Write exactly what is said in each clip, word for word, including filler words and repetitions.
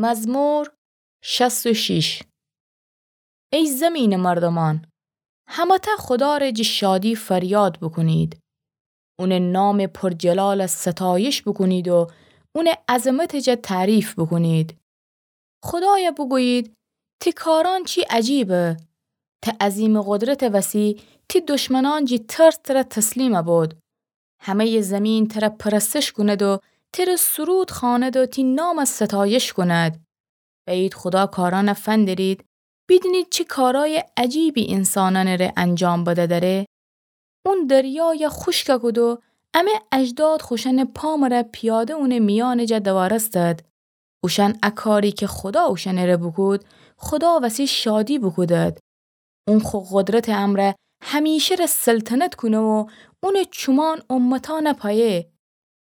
مزمور شصت و شش. ای زمینٚ مردومأن، همه‌تأ خودا ره جٚه شادی فریاد بوکونید. اونٚ نامٚ پرجلال ستایش بوکونید و اونٚ عظمتٚ جا تعریف بوکونید. خودایا بوگویید: تی کارأن چی عجیبه! تی عظیمٚ قدرتٚ وسی تی دشمنأن جٚه ترس تره تسلیم بود. همه‌یٚ زیمین تره پرستش کوند و تره سرود خواند و تی نام ستایش کوند. بأیید خودا کارأن فندرید، بیدینید چی کارأی عجیبی اینسانأنٚ ره انجام بده دره. اون دریایا خوشک کود و امه اجداد خوشأنٚ پا مره پیاده اونٚ میأنٚ جا دوارستد. اوشأن ا کاری کی خودا اوشأنٚ ره بوکود، خودا وسی شادی بوکودد. اون خو قدرتٚ امرأ همیشه ره سلطنت کونه و اونٚ چومان امتأن پایه.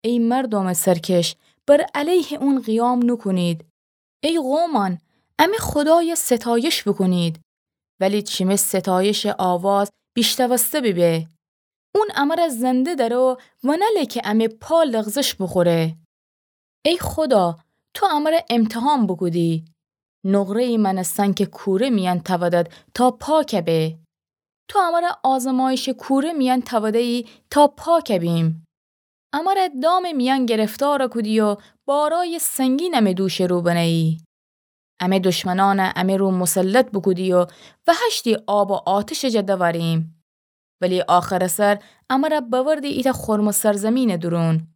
ای مردومٚ سرکش، بر علیه اون قیام نوکونید. ای قومأن، امه خودایا ستایش بوکونید. ولی چی می ستایشٚ آواز بیشتوسته بیبه. اون امره زنده دأره و ونله کی امه پا لغزش بوخوره. ای خودا، تو امره امتحان بوکودی. نقره‌یی مأنستن کی کوره میأن تأودد تا پاک به. تو امره آزمایشٚ کوره میأن تأوده‌یی تا پاک بیم. امره دامٚ میأن گرفتار کودی و بارأیٚ سنگین امه دوشٚ رو بنه‌یی. امه دشمنأن امه رو مسلط بوکودی و وهشتی آب و آتشٚ جا دوأریم. ولی آخرٚ سر امره بأوردی ایتأ خرمٚ سرزیمینٚ دورون.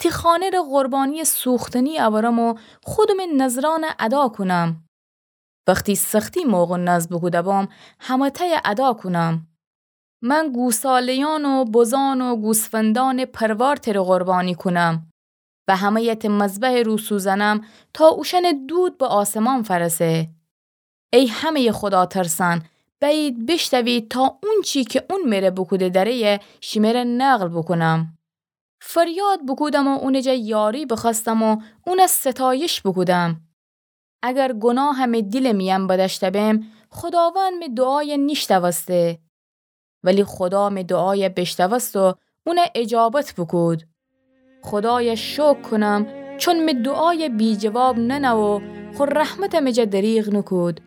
تی خانه ره قربانییٚ سوختنی اورم و خودمٚ نذرأن ادا کونم. وختی سختی موقع نذر بوکوده بام، همه‌تأی ادا کونم. من گوساله‌یأن و بزأن و گوسفندأنٚ پروار تره قربانی کونم و همه‌ی تی مذبحٚ رو سوزأنم تا اوشأنٚ دود به آسمان فأرسه. ای همه‌یٚ خودا ترسأن، بأیید بیشتوید تا اونچی کی اون مره بوکوده دره‌یه شیمره نقل بوکونم. فریاد بوکودم و اونٚ جا یاری بخوأستم و اون ستایش بوکودم. اگر گوناه می دیلٚ میأن بدأشته بم، خوداوند می دوعای نیشتوسته. ولی خودا می دوعای بیشتوست و اون اجابت بوکود. خودای شکر کونم، چون می دوعای بی‌جواب ننه و خو رحمت می جا دریغ نوکود.